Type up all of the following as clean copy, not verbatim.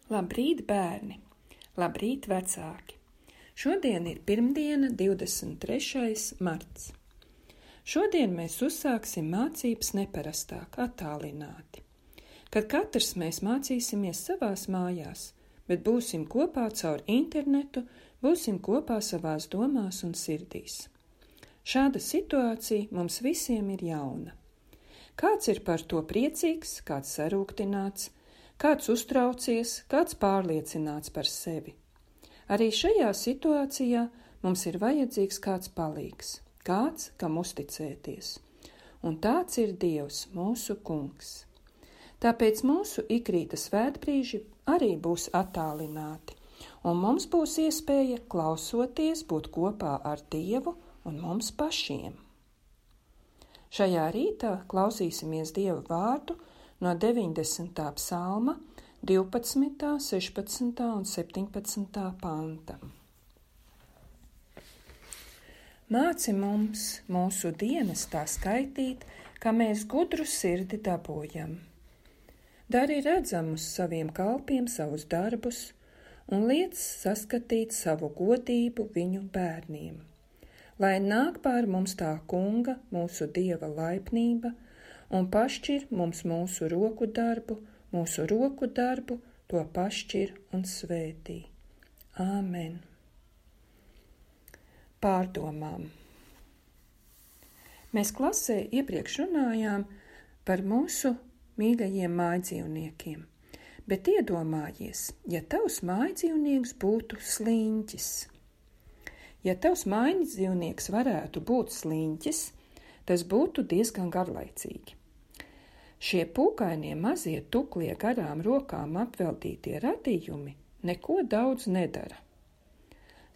Labrīt, bērni! Labrīt, vecāki! Šodien ir pirmdiena, 23. marts. Šodien mēs uzsāksim mācības neparastāk, attālināti, kad katrs mēs mācīsimies savās mājās, bet būsim kopā caur internetu, būsim kopā savās domās un sirdīs. Šāda situācija mums visiem ir jauna. Kāds ir par to priecīgs, kāds sarūktināts, kāds uztraucies, kāds pārliecināts par sevi. Arī šajā situācijā mums ir vajadzīgs kāds palīgs, kāds, kam uzticēties. Un tāds ir Dievs, mūsu kungs. Tāpēc mūsu ikrīta svētbrīži arī būs attālināti, un mums būs iespēja klausoties būt kopā ar Dievu un mums pašiem. Šajā rītā klausīsimies Dieva vārdu no 90. psalma, 12., 16. un 17. panta. Māci mums mūsu dienas tā skaitīt, ka mēs gudru sirdi dabojam. Dari redzamus saviem kalpiem savus darbus un liec saskatīt savu godību viņu bērniem. Lai nāk pār mums tā kunga, mūsu Dieva laipnība, un pašķir mums mūsu roku darbu, to pašķir un svētī. Āmen. Pārdomām. Mēs klasē iepriekš runājām par mūsu mīļajiem mājdzīvniekiem, bet iedomājies, ja tavs mājdzīvnieks būtu sliņķis. Ja tavs mājdzīvnieks varētu būt sliņķis, tas būtu diezgan garlaicīgi. Šie pūkainie mazie tuklie garām rokām apveltītie radījumi neko daudz nedara.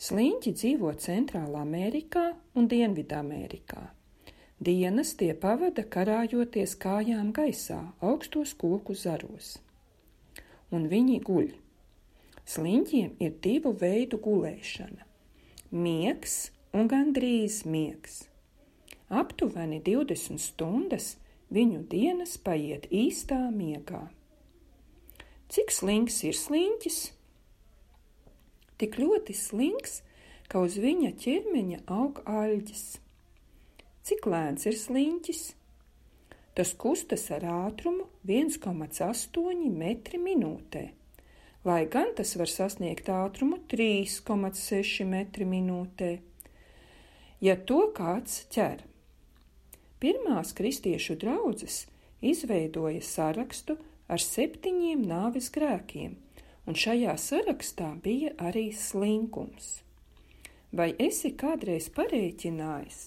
Sliņķi dzīvo Centrālā Amerikā un Dienvidamerikā. Dienas tie pavada karājoties kājām gaisā, augstos koku zaros. Un viņi guļ. Sliņķiem ir divu veidu gulēšana. Miegs un gandrīz miegs. Aptuveni 20 stundas viņu dienas paiet īstā miegā. Cik slinks ir sliņķis? Tik ļoti slinks, ka uz viņa ķermeņa aug aļģes. Cik lēns ir sliņķis? Tas kustas ar ātrumu 1,8 metri minūtē, lai gan tas var sasniegt ātrumu 3,6 metri minūtē, ja to kāds ķer. Pirmās kristiešu draudzes izveidoja sarakstu ar 7 nāves grēkiem, un šajā sarakstā bija arī slinkums. Vai esi kādreiz parēķinājis,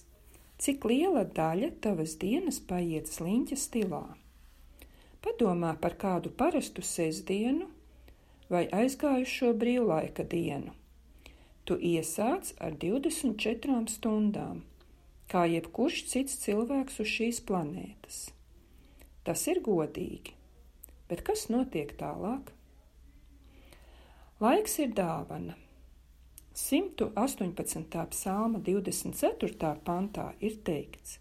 cik liela daļa tavas dienas paiet sliņķa stilā? Padomā par kādu parastu sestdienu vai aizgājušo brīvlaika dienu. Tu iesāc ar 24 stundām, kā jebkurš cits cilvēks uz šīs planētas. Tas ir godīgi, bet kas notiek tālāk? Laiks ir dāvana. 118. psalma 24. pantā ir teikts: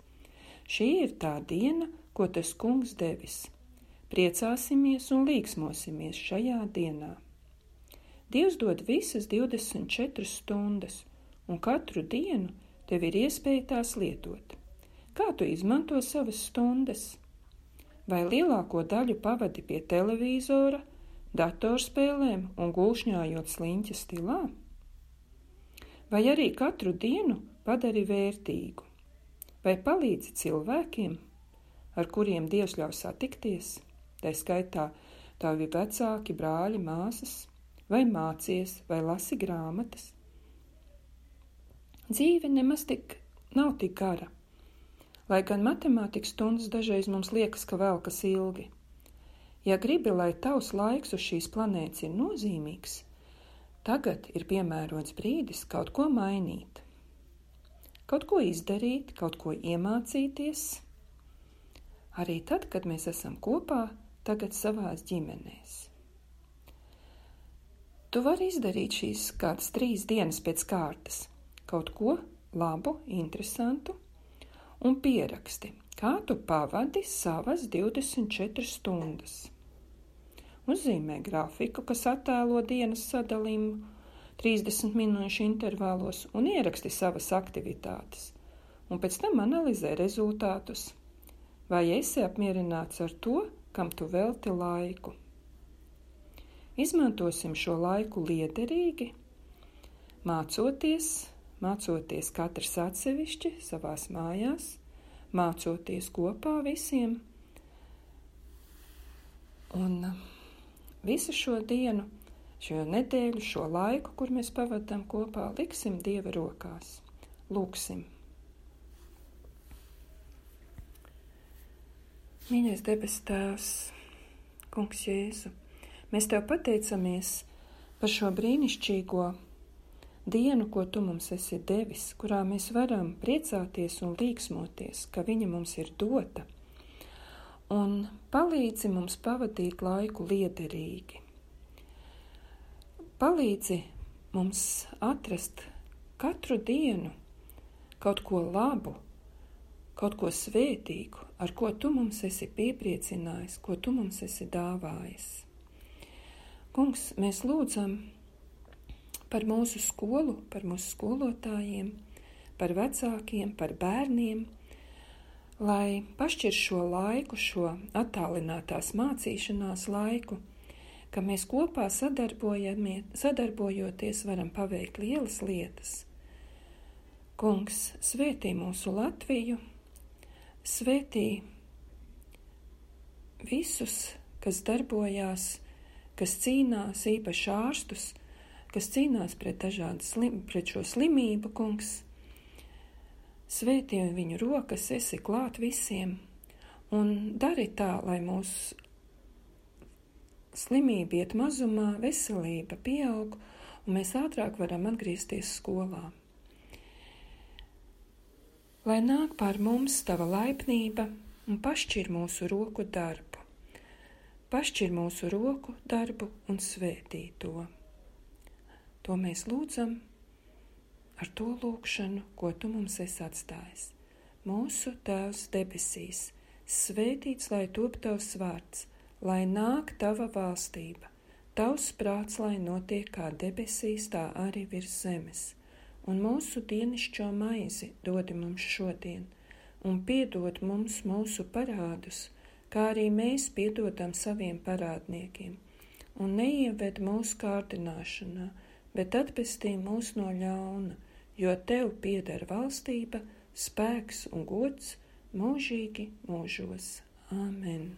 šī ir tā diena, ko tas kungs devis. Priecāsimies un līksmosimies šajā dienā. Dievs dod visas 24 stundas, un katru dienu tev ir iespēja tās lietot. Kā tu izmanto savas stundas? Vai lielāko daļu pavadi pie televīzora, datorspēlēm un gulšņājot sliņķa stilā? Vai arī katru dienu padari vērtīgu? Vai palīdzi cilvēkiem, ar kuriem Dievs ļauj satikties? Tā skaitā tavi vecāki, brāļi, māsas, vai mācies, vai lasi grāmatas. Dzīve nemaz nav tik gara, lai gan matemātikas stundas dažreiz mums liekas, ka velkas ilgi. Ja gribi, lai tavs laiks uz šīs planētas ir nozīmīgs, tagad ir piemērots brīdis kaut ko mainīt, kaut ko izdarīt, kaut ko iemācīties. Arī tad, kad mēs esam kopā, tagad savās ģimenēs. Tu vari izdarīt šīs kādas 3 dienas pēc kārtas, kaut ko labu, interesantu, un pieraksti, kā tu pavadi savas 24 stundas. uzzīmē grafiku, kas attēlo dienas sadalījumu 30 minūšu intervālos un ieraksti savas aktivitātes, un pēc tam analizē rezultātus. Vai esi apmierināts ar to, kam tu velti laiku? Izmantosim šo laiku liederīgi, mācoties katrs atsevišķi savās mājās, mācoties kopā visiem. Un visu šo dienu, šo nedēļu, šo laiku, kur mēs pavadām kopā, liksim Dieva rokās. Lūksim. Mīļais debes Tēvs, Kungs Jēzu, mēs Tev pateicamies par šo brīnišķīgo dienu, ko Tu mums esi devis, kurā mēs varam priecāties un līksmoties, ka viņa mums ir dota, un palīdzi mums pavadīt laiku liederīgi. Palīdzi mums atrast katru dienu kaut ko labu, kaut ko svētīgu, ar ko Tu mums esi piepriecinājis, ko Tu mums esi dāvājis. Kungs, mēs lūdzam par mūsu skolu, par mūsu skolotājiem, par vecākiem, par bērniem, lai pašķir šo laiku, šo attālinātās mācīšanās laiku, ka mēs kopā sadarbojoties varam paveikt lielas lietas. Kungs, svētī mūsu Latviju, svētī visus, kas darbojās, kas cīnās, īpaši ārstus, kas cīnās pret šo slimību, Kungs. Svētī viņu rokas, esi klāt visiem, un dari tā, lai mūsu slimība iet mazumā, veselība pieaug, un mēs ātrāk varam atgriezties skolā. Lai nāk pār mums Tava laipnība un pašķir mūsu roku darbu. Pašķir mūsu roku darbu un svētī to. To mēs lūdzam ar to lūgšanu, ko Tu mums esi atstājis. Mūsu Tēvs debesīs, svētīts lai top Tavs vārds, lai nāk Tava valstība, Tavs prāts, lai notiek kā debesīs, tā arī virs zemes. Un mūsu dienišķo maizi dodi mums šodien, un piedod mums mūsu parādus, kā arī mēs piedodam saviem parādniekiem, un neieved mūsu kārdināšanā, bet atpestī mūs no ļauna, jo Tev pieder valstība, spēks un gods mūžīgi mūžos. Āmen.